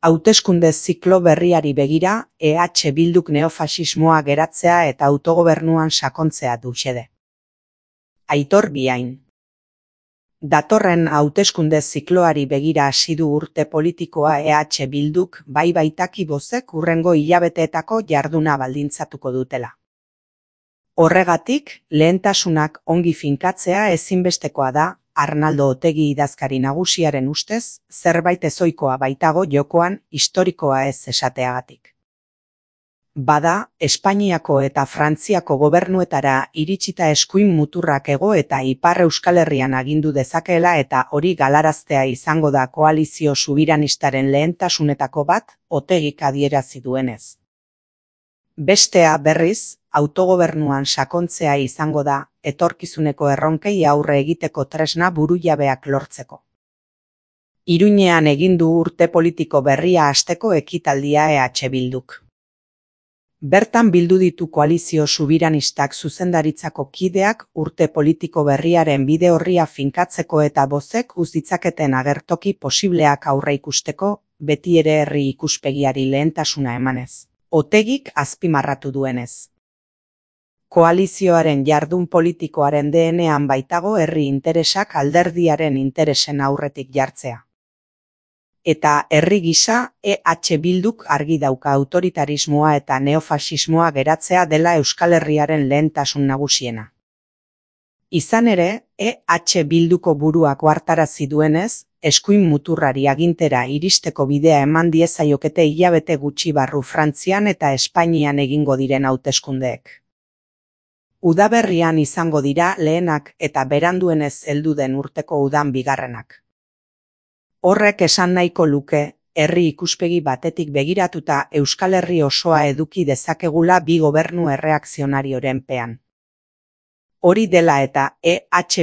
Hauteskunde ziklo berriari begira, Bilduk neofasismoa geratzea eta autogobernuan sakontzea du xede. Aitor Biain. Datorren hauteskunde zikloari begira hasi du urte politikoa Bilduk, bai baitaki bozek hurrengo hilabeteetako jarduna baldintzatuko dutela. Horregatik, lehentasunak ongi finkatzea ezinbestekoa da, Arnaldo Otegi idazkari nagusiaren ustez, zerbait ezohikoa baitago jokoan, historikoa ez esateagatik. Bada, Espainiako eta Frantziako gobernuetara iritsita eskuin muturrak hego eta ipar Euskal Herrian agindu dezakeela eta hori galaraztea izango da koalizio subiranistaren lehentasunetako bat, Otegik adierazi duenez. Bestea berriz, autogobernuan sakontzea izango da, etorkizuneko erronkei aurre egiteko tresna burujabeak lortzeko. Iruñean egin du urte politiko berria hasteko ekitaldia Bilduk. Bertan bildu ditu koalizio subiranistak zuzendaritzako kideak urte politiko berriaren bide orria finkatzeko eta bozek uz ditzaketen agertoki posibleak aurre ikusteko, beti ere herri ikuspegiari lehentasuna emanez. Otegik azpimarratu duenez. Koalizioaren jardun politikoaren DNA-an baitago herri interesak alderdiaren interesen aurretik jartzea. Eta herri gisa, Bilduk argi dauka autoritarismoa eta neofasismoa geratzea dela Euskal Herriaren lehentasun nagusiena. Izan ere, Bilduko buruak ohartarazi duenez, eskuin muturrari agintera iristeko bidea eman diezaiokete hilabete gutxi barru Frantzian eta Espainian egingo diren hauteskundeek. Udaberrian izango dira lehenak eta beranduenez heldu den urteko udan bigarrenak. Horrek esan nahiko luke, herri ikuspegi batetik begiratuta Euskal Herri osoa eduki dezakegula bi gobernu erreakzionarioren pean. Hori dela eta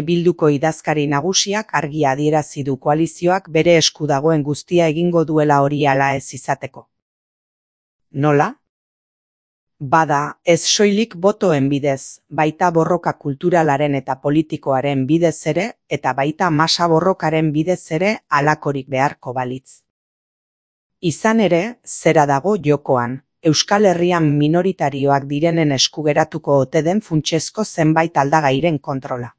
Bilduko idazkari nagusiak argi adierazi du koalizioak bere esku dagoen guztia egingo duela hori hala ez izateko. Nola? Bada, ez soilik botoen bidez, baita borroka kulturalaren eta politikoaren bidez ere, eta baita masa borrokaren bidez ere halakorik beharko balitz. Izan ere, zera dago jokoan, Euskal Herrian minoritarioak direnen esku geratuko ote den funtsezko zenbait aldagairen kontrola.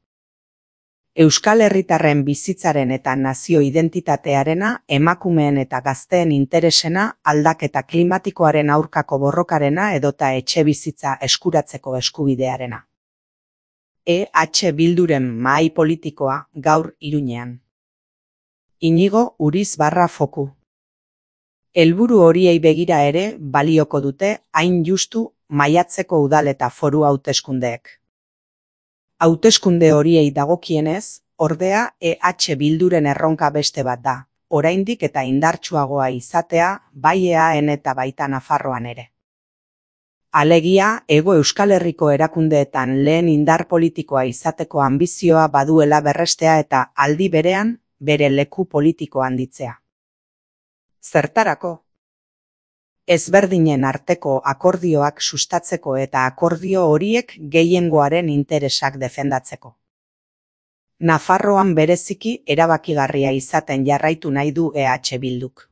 Euskal Herritarren bizitzaren eta nazio identitatearena, emakumeen eta gazteen interesena, aldaketa klimatikoaren aurkako borrokarena edota etxe bizitza eskuratzeko eskubidearena. Bilduren mahai politikoa gaur Iruñean. Inigo Uriz Foku. Helburu horiei begira ere balioko dute hain justu maiatzeko udal eta foru hauteskundeek. Hauteskunde horiei dagokienez, ordea Bilduren erronka beste bat da, oraindik eta indartsuagoa izatea, bai EAN eta baita Nafarroan ere. Alegia, Hego Euskal Herriko erakundeetan lehen indar politikoa izateko anbizioa baduela berrestea eta aldi berean, bere leku politiko handitzea. Zertarako? Ezberdinen arteko akordioak sustatzeko eta akordio horiek gehiengoaren interesak defendatzeko. Nafarroan bereziki erabakigarria izaten jarraitu nahi du Bilduk.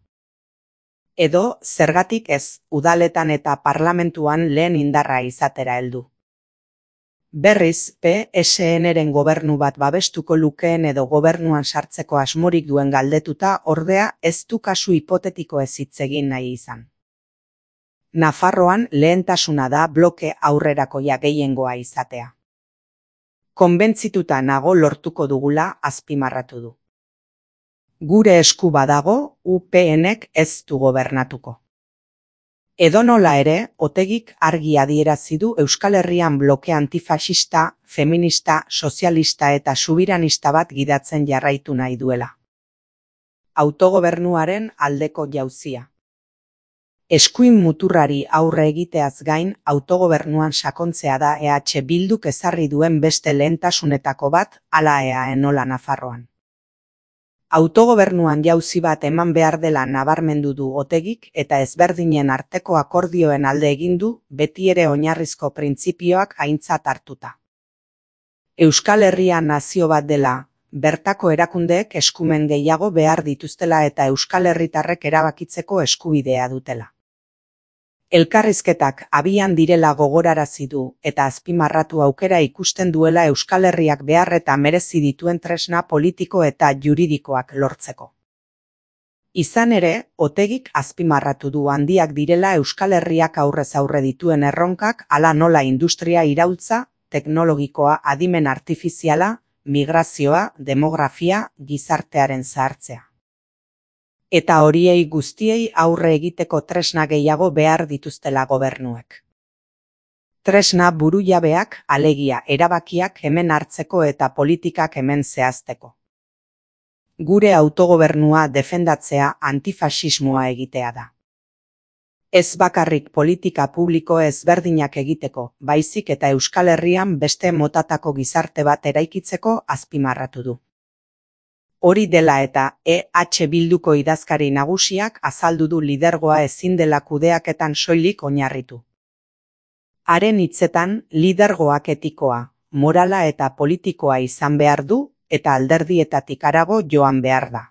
Edo, zergatik ez, udaletan eta parlamentuan lehen indarra izatera heldu. Berriz, PSN-ren gobernu bat babestuko lukeen edo gobernuan sartzeko asmorik duen galdetuta, ordea ez du kasu hipotetiko ez hitz egin nahi izan. Nafarroan lehentasuna da bloke aurrerakoia gehiengoa izatea. Konbentzituta nago lortuko dugula azpimarratu du. Gure esku badago, UPNek ez du gobernatuko. Edonola ere, Otegik argi adierazi du Euskal Herrian bloke antifasista, feminista, sozialista eta subiranista bat gidatzen jarraitu nahi duela. Autogobernuaren aldeko jauzia. Eskuin muturrari aurre egiteaz gain, autogobernuan sakontzea da Bilduk ezarri duen beste lehentasunetako bat, hala EAN-ola Nafarroan. Autogobernuan jauzi bat eman behar dela nabarmendu du Otegik eta ezberdinen arteko akordioen alde egin du, beti ere oinarrizko printzipioak aintzat hartuta. Euskal Herria nazio bat dela, bertako erakundeek eskumen gehiago behar dituztela eta euskal herritarrek erabakitzeko eskubidea dutela. Elkarrizketak abian direla gogorarazi du eta azpimarratu aukera ikusten duela Euskal Herriak behar eta merezi dituen tresna politiko eta juridikoak lortzeko. Izan ere, Otegik azpimarratu du handiak direla Euskal Herriak aurrez aurre dituen erronkak, hala nola industria iraultza, teknologikoa, adimen artifiziala, migrazioa, demografia, gizartearen zahartzea. Eta horiei guztiei aurre egiteko tresna gehiago behar dituztela gobernuek. Tresna burujabeak, alegia erabakiak hemen hartzeko eta politikak hemen zehazteko. Gure autogobernua defendatzea antifaxismoa egitea da. Ez bakarrik politika publiko ezberdinak egiteko, baizik eta Euskal Herrian beste motatako gizarte bat eraikitzeko azpimarratu du. Hori dela eta EH Bilduko idazkari nagusiak azaldu du lidergoa ezin dela kudeaketan soilik oinarritu. Haren hitzetan, lidergoak etikoa, morala eta politikoa izan behar du eta alderdietatik harago joan behar da.